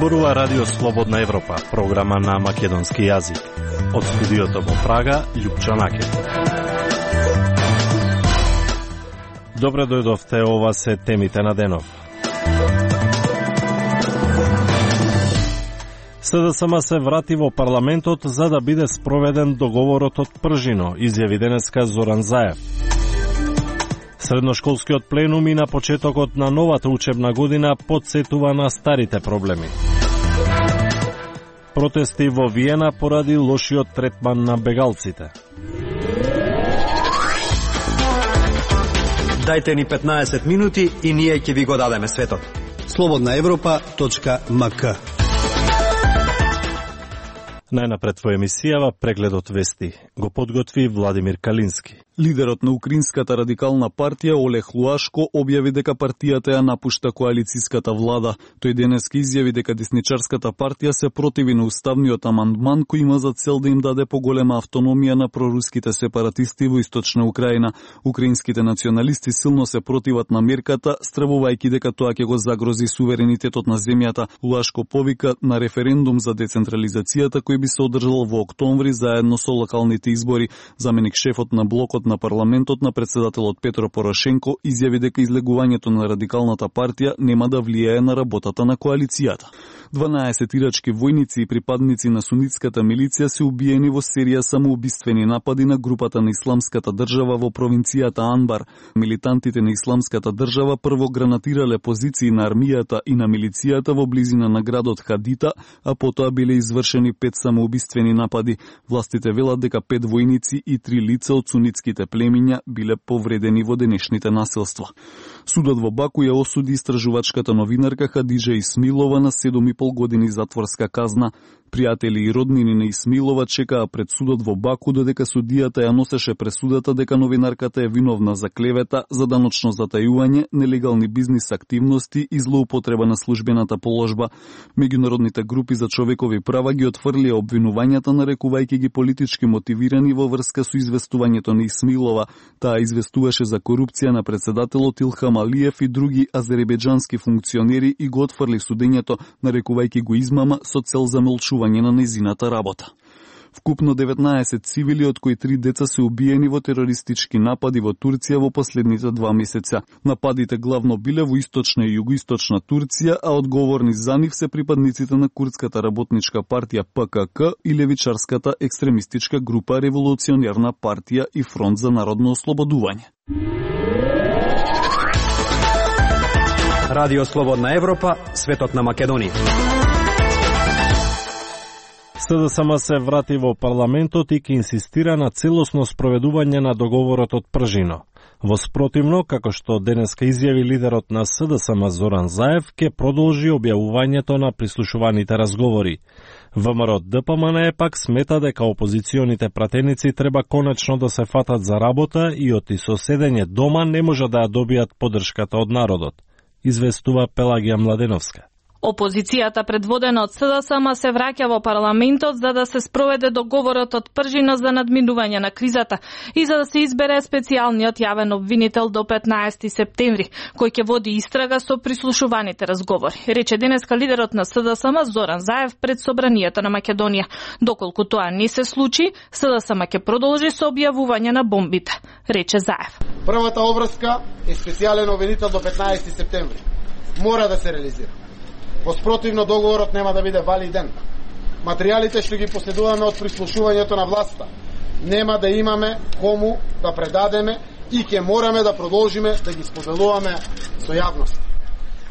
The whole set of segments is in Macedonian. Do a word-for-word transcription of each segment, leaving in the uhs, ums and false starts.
зборува Радио Слободна Европа, програма на македонски јазик. Од студиото во Прага, Љупчо Накев. Добре дојдовте, ова се темите на денов. СДСМ се врати во парламентот за да биде спроведен договорот од Пржино, изјави денеска Зоран Заев. Средношколскиот пленум и на почетокот на новата учебна година потсетува на старите проблеми. Протести во Виена поради лошиот третман на бегалците. Дајте ни петнаесет минути и ние ќе ви го дадеме светот. слободна европа точка ем ка. Најнапред во емисијава прегледот вести го подготви Владимир Калински. Лидерот на Украинската радикална партија Олег Луашко објави дека партијата ја напушта коалицијската влада. Тој денеска изјави дека десничарската партија се противи на уставниот амандман кој има за цел да им даде поголема автономија на проруските сепаратисти во источна Украина. Украинските националисти силно се противат на мерката, стравувајќи дека тоа ќе го загрози суверенитетот на земјата. Луашко повика на референдум за децентрализацијата кој би се одржал во октомври заедно со локалните избори. Заменик шефот на блокот на парламентот на председателот Петро Порошенко изјави дека излегувањето на радикалната партија нема да влијае на работата на коалицијата. дванаесет ирачки војници и припадници на сунитската милиција се убиени во серија самоубиствени напади на групата на Исламската држава во провинцијата Анбар. Милитантите на Исламската држава прво гранатирале позиции на армијата и на милицијата во близина на градот Хадита, а потоа биле извршени пет самоубиствени напади. Властите велат дека пет војници и три лица од сунитските племиња биле повредени во денешните насилства. Судот во Баку ја осуди истражувачката новинарка Хадиджа Исмилова на седум и пол години затворска казна. Пријатели и роднини на Исмилова чекаа пред судот во Баку додека судијата ја носеше пресудата дека новинарката е виновна за клевета, заданочно затајување, нелегални бизнис активности и злоупотреба на службената положба. Меѓународните групи за човекови права ги отфрлија обвинувањата, нарекувајќи ги политички мотивирани во врска со известувањето на Исмилова. Таа известуваше за корупција на председателот Илхам Алиев и други азербејџански функционери и го отфрли судењето, нарекувајќи го измама со цел замолчување на незината работа. Вкупно деветнаесет цивили, од кои три деца се убиени во терористички напади во Турција во последните два месеца. Нападите главно биле во источна и југоисточна Турција, а одговорни за нив се припадниците на курдската работничка партија Пе Ке Ке и левичарската екстремистичка група Револуционерна партија и Фронт за народно ослободување. Радио Слободна Европа, светот на Македонија. СДСМ се врати во парламентот и ќе инсистира на целосно спроведување на договорот од Пржино. Во спротивно, како што денеска изјави лидерот на СДСМ Зоран Заев, ќе продолжи објавувањето на прислушуваните разговори. ВМРО Д П М Н пак смета дека опозиционите пратеници треба конечно да се фатат за работа и од и со седење дома не може да ја добијат поддршката од народот, известува Пелагија Младеновска. Опозицијата предводена од СДСМ се враќа во парламентот за да се спроведе договорот од Пржино за надминување на кризата и за да се избере специјалниот јавен обвинител до петнаесети септември, кој ќе води истрага со прислушуваните разговори, рече денеска лидерот на СДСМ Зоран Заев пред Собранието на Македонија. Доколку тоа не се случи, СДСМ ќе продолжи со објавување на бомбите, рече Заев. Првата обврска е специјален обвинител до петнаесети септември. Мора да се реализира. Во спротивно договорот нема да биде валиден. Материјалите што ги последуваме од прислушувањето на власта нема да имаме кому да предадеме и ќе мораме да продолжиме да ги споделуваме со јавност.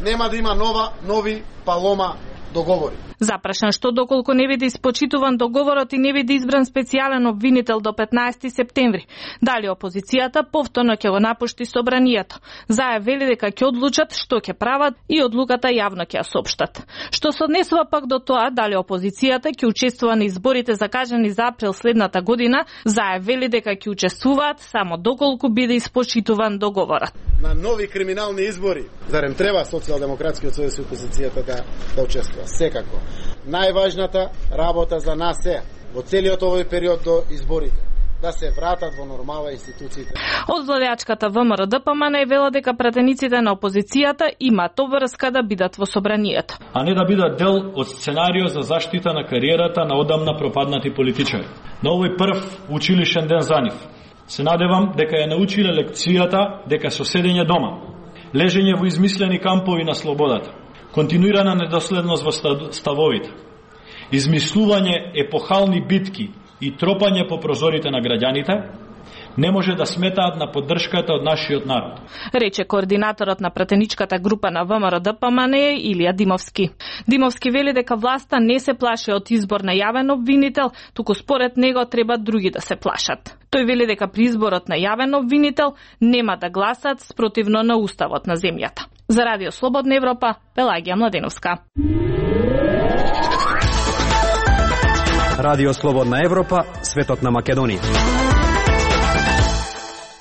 Нема да има нова, нови палома договори. Запрашан што доколку не биде испочитуван договорот и не биде избран специјален обвинител до петнаесети септември, дали опозицијата повторно ќе го напушти собранието. Заев вели дека ќе одлучат што ќе прават и одлуката јавно ќе ја соопштат. Што се однесува пак до тоа дали опозицијата ќе учествува на изборите закажани за април следната година, Заев вели дека ќе учествуваат само доколку биде испочитуван договорот. На нови криминални избори, зарем треба Социјалдемократскиот сојуз и опозицијата да, да учествува? Секако. Најважната работа за нас е во целиот овој период до изборите да се вратат во нормала институциите. Од владеачката ВМРО Д П М Н вела дека пратениците на опозицијата имаат обврска да бидат во собранието. А не да бидат дел од сценарио за заштита на кариерата на одамна пропаднати политичари. На овој прв училишен ден за нив се надевам дека ја научиле лекцијата дека со седење дома, лежење во измислени кампови на слободата, континуирана недоследност во ставовите, измислување епохални битки и тропање по прозорите на граѓаните, не може да сметаат на поддршката од нашиот народ. Рече координаторот на пратеничката група на ВМРО Д П М Н Илија Димовски. Димовски вели дека власта не се плаши од избор на јавен обвинител, туку според него треба други да се плашат. Тој вели дека при изборот на јавен обвинител нема да гласат спротивно на уставот на земјата. За Радио Слободна Европа, Пелагија Младеновска. Радио Слободна Европа, светот на Македонија.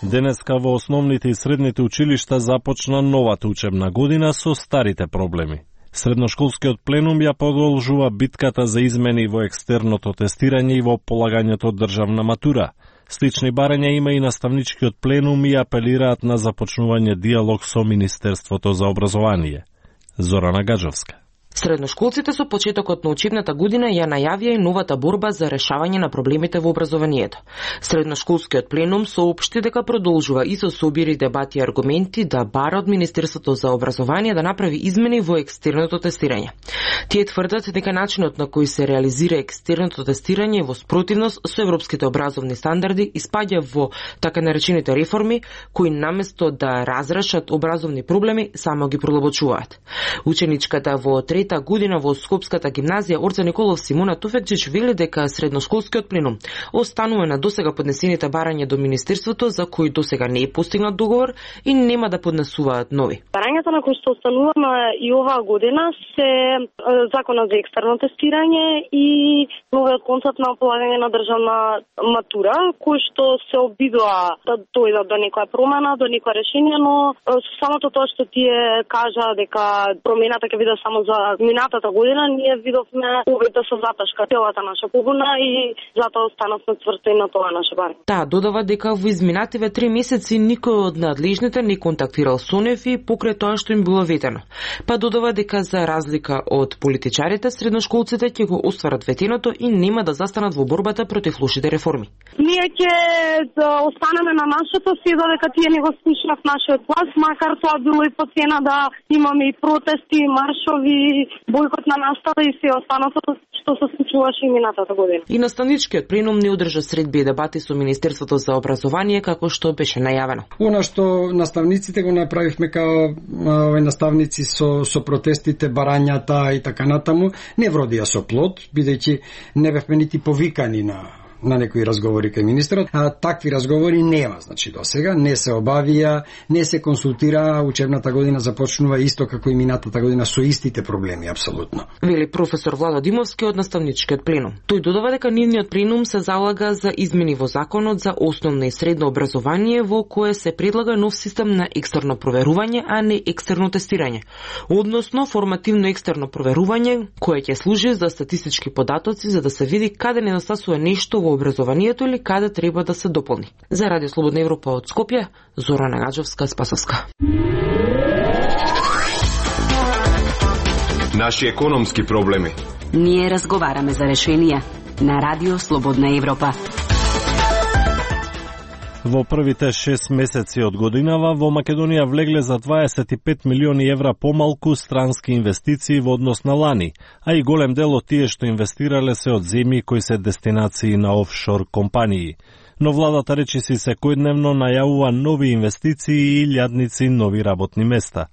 Денеска во основните и средните училишта започна новата учебна година со старите проблеми. Средношколскиот пленум ја продолжува битката за измени во екстерното тестирање и во полагањето од државна матура. Слични барања има и наставничкиот пленум и апелираат на започнување диалог со Министерството за образование. Зорана Гаджовска. Средношколците со почетокот на учебната година ја најавија и новата борба за решавање на проблемите во образованието. Средношколскиот пленум соопшти дека продолжува и со собири дебати и аргументи да бара од Министерството за образование да направи измени во екстерното тестирање. Тие тврдат дека начинот на кој се реализира екстерното тестирање е во спротивност со европските образовни стандарди и спаѓа во така наречените реформи кои наместо да разрешат образовни проблеми само ги продлабочуваат. Ученичката во трета година во Скопската гимназија Орца Николов Симона Туфекчич вели дека средношколскиот пленум останува на досега поднесените барања до Министерството за кои досега не е постигнат договор и нема да поднесуваат нови. Барањата на кои што остануваме и оваа година се законот за екстерно тестирање и новиот концепт на полагање на државна матура, кој што се обидува да дојдат до некоја промена, до некоја решение, но со самото тоа што тие кажа дека промената ќе биде само за минатата година, ние видовме увид да се заташка целата наша побуна и затоа останавме цврсти на тоа наше барање. Таа додава дека во изминативе три месеци никој од надлежните не контактирал со нив и покрај тоа што им било ветено. Па додава дека за разлика од политичарите, средношколците ќе го остварат ветеното и нема да застанат во борбата против лошите реформи. Ние ќе да останеме на нашето си додека тие не го слушнат нашиот глас, макар тоа било и по цена да имаме и протести, маршови, бојкот на настава и се останато што се случуваше и минатата година. И наставничкиот пленум не одржа средби и дебати со Министерството за образование како што беше најавено. Она што наставниците го направивме као наставници со со протестите, барањата и така натаму, не вродија со плод, бидејќи не бевме нити повикани на на некои разговори кај министерот, а такви разговори нема, значи до сега не се обавија, не се консултира, учебната година започнува исто како и минатата година со истите проблеми апсолутно. Вели професор Владо Димовски од наставничкиот пленум. Тој додава дека нивниот пленум се залага за измени во законот за основно и средно образование во кое се предлага нов систем на екстерно проверување, а не екстерно тестирање. Односно формативно екстерно проверување кое ќе служи за статистички податоци за да се види каде недостасува нешто во образованието или каде треба да се дополни. За Радио Слободна Европа од Скопје, Зорана Гаджовска, Спасовска. Наши економски проблеми. Ние разговараме за решенија на Радио Слободна Европа. Во првите шест месеци од годинава во Македонија влегле за дваесет и пет милиони евра помалку странски инвестиции во однос на лани, а и голем дел од тие што инвестирале се од земји кои се дестинации на офшор компании. Но владата речиси секојдневно најавува нови инвестиции и илјадници нови работни места.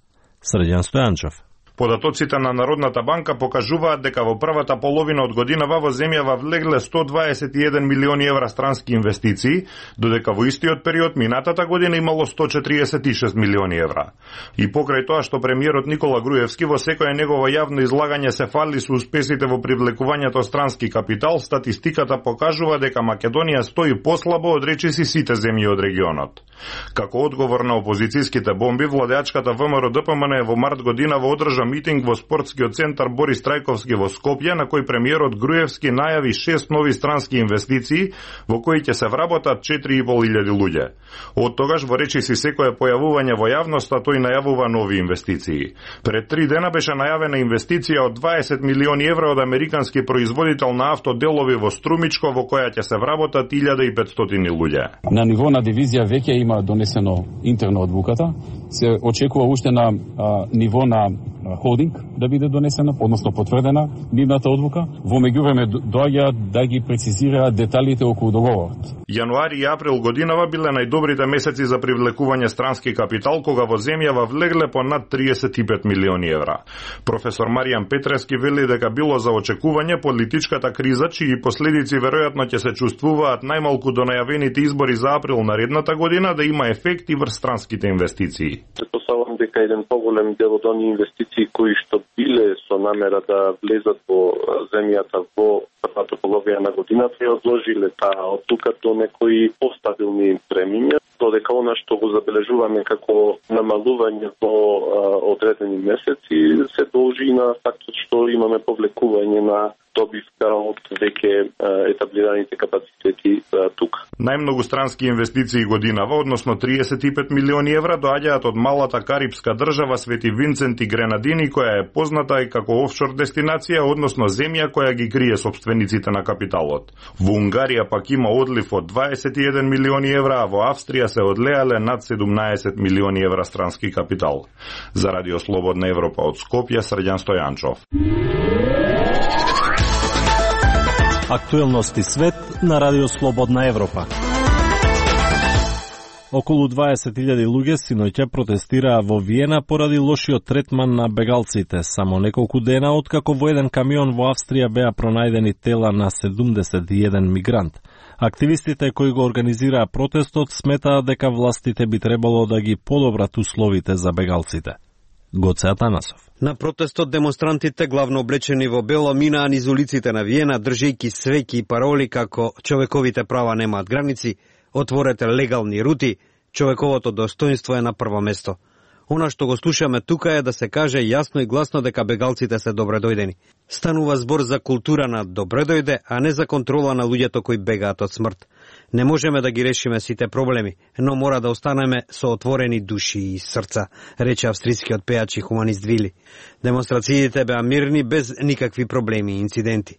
Средјан Стојанчев. Податоците на Народната банка покажуваат дека во првата половина од годинава во земјава влегле сто дваесет и еден милиони евра странски инвестиции, додека во истиот период минатата година имало сто четириесет и шест милиони евра. И покрај тоа што премиерот Никола Груевски во секое негово јавно излагање се фали со успесите во привлекувањето странски капитал, статистиката покажува дека Македонија стои послабо од речиси сите земји од регионот. Како одговор на опозицијските бомби, владеачката ВМРО Д П М Н во март година во одржа митинг во спортскиот центар Борис Трајковски во Скопје, на кој премиерот Груевски најави шест нови странски инвестиции во кои ќе се вработат четири и пол илјади луѓе. Од тогаш во речиси секое појавување во јавноста тој најавува нови инвестиции. Пред три дена беше најавена инвестиција од дваесет милиони евра од американски производител на автоделови во Струмичко, во која ќе се вработат илјада и петстотини луѓе. На ниво на дивизија веќе има донесено интерно одлуката. Се очекува уште на а, ниво на холдинг да биде донесена, односно потврдена нивната одлука. Во меѓувреме доаѓа да ги прецизира деталите околу договорот. Јануари и април годинава биле најдобрите месеци за привлекување странски капитал, кога во земјава влегле по над триесет и пет милиони евра. Професор Маријан Петрески вели дека било за очекување политичката криза, чии последици веројатно ќе се чувствуваат најмалку до најавените избори за април наредната година, да има ефект и врз странските инвестиции. Предпоставувам дека еден поголем дел од оние инвестиции кои што биле со намера да влезат во земјата во првата половина на годината, ја одложиле таа одлука до некои постабилни премиња, додека она што го забележуваме како намалување во одредени месеци се должи на фактот што имаме повлекување на добивка од веќе етаблираните капацитети тука. Најмногу странски инвестиции годинава, односно триесет и пет милиони евра, доаѓаат од малата карипска држава Свети Винцент и Гренадини, која е позната и како офшор дестинација, односно земја која ги крие собствениците на капиталот. Во Унгарија пак има одлив од дваесет и еден милиони евра, а во Австрија се одлеале над седумнаесет милиони евра странски капитал. За Радио Слободна Европа од Скопје, Срđan Стојанчов. Актуелности свет на Радио Слободна Европа. Околу дваесет илјади луѓе синоќа протестираа во Виена поради лошиот третман на бегалците, само неколку дена откако во еден камион во Австрија беа пронајдени тела на седумдесет и еден мигрант. Активистите кои го организираа протестот сметаат дека властите би требало да ги подобрат условите за бегалците. Гоце Атанасов. На протестот демонстрантите, главно облечени во бело, минаа низ улиците на Виена, држејќи свеќи и пароли како човековите права немаат граници, отворете легални рути, човековото достоинство е на прво место. Она што го слушаме тука е да се каже јасно и гласно дека бегалците се добредојдени. Станува збор за култура на добредојде, а не за контрола на луѓето кои бегаат од смрт. Не можеме да ги решиме сите проблеми, но мора да останеме со отворени души и срца, рече австрискиот пеач и хуманист Вили. Демонстрациите беа мирни без никакви проблеми и инциденти.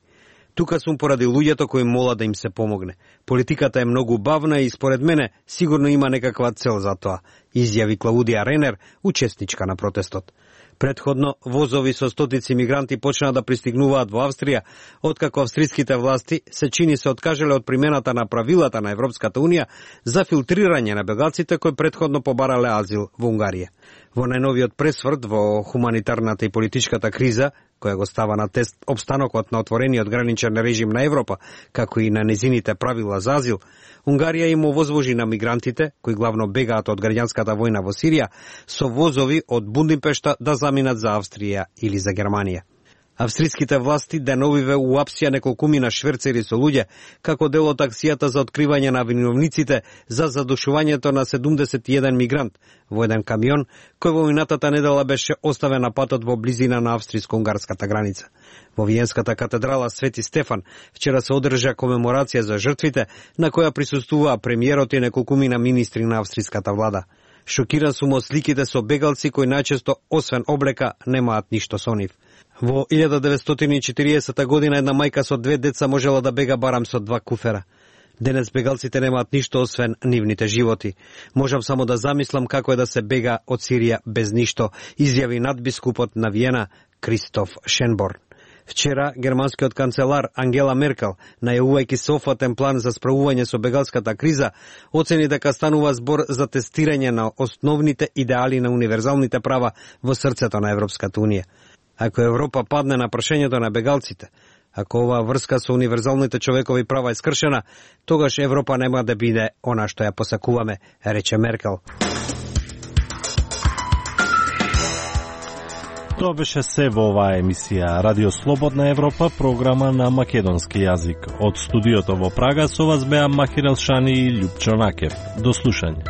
Тука сум поради луѓето кои молат да им се помогне. Политиката е многу бавна и според мене сигурно има некаква цел за тоа, изјави Клаудија Ренер, учесничка на протестот. Предходно, возови со стотици мигранти почнаа да пристигнуваат во Австрија, откако австриските власти се чини се откажале од примената на правилата на Европската Унија за филтрирање на бегалците кои предходно побарале азил во Унгарија. Во најновиот пресврт во хуманитарната и политичката криза, која го става на тест обстанокот на отворениот граничен режим на Европа, како и на незините правила за азил, Унгарија им овозвожи на мигрантите, кои главно бегаат од граѓанската војна во Сирија, со возови од Будимпешта да заминат за Австрија или за Германија. Австриските власти деновиве уапсија неколкумина шверцери со луѓе, како дел од акцијата за откривање на виновниците за задушувањето на седумдесет и еден мигрант во еден камион, кој во минатата недела беше оставен на патот во близина на австриско-унгарската граница. Во Виенската катедрала Свети Стефан вчера се одржа комеморација за жртвите, на која присуствуваа премиерот и неколкумина министри на австриската влада. Шокиран сум од сликите со бегалци кои најчесто, освен облека, немаат ништо со нив. Во илјада деветстотини и четириесета година една мајка со две деца можела да бега барам со два куфера. Денес бегалците немаат ништо освен нивните животи. Можам само да замислам како е да се бега од Сирија без ништо, изјави надбискупот на Виена Кристоф Шенборн. Вчера германскиот канцелар Ангела Меркел, најавувајќи софатен план за справување со бегалската криза, оцени дека станува збор за тестирање на основните идеали на универзалните права во срцето на Европската Унија. Ако Европа падне на прашањето на бегалците, ако оваа врска со универзалните човекови права е скршена, тогаш Европа нема да биде она што ја посакуваме, рече Меркел. Тоа беше се во оваа емисија Радио Слободна Европа, програма на македонски јазик. Од студиото во Прага со вас беа Махир Елшани и Љупчо Накев. До слушање.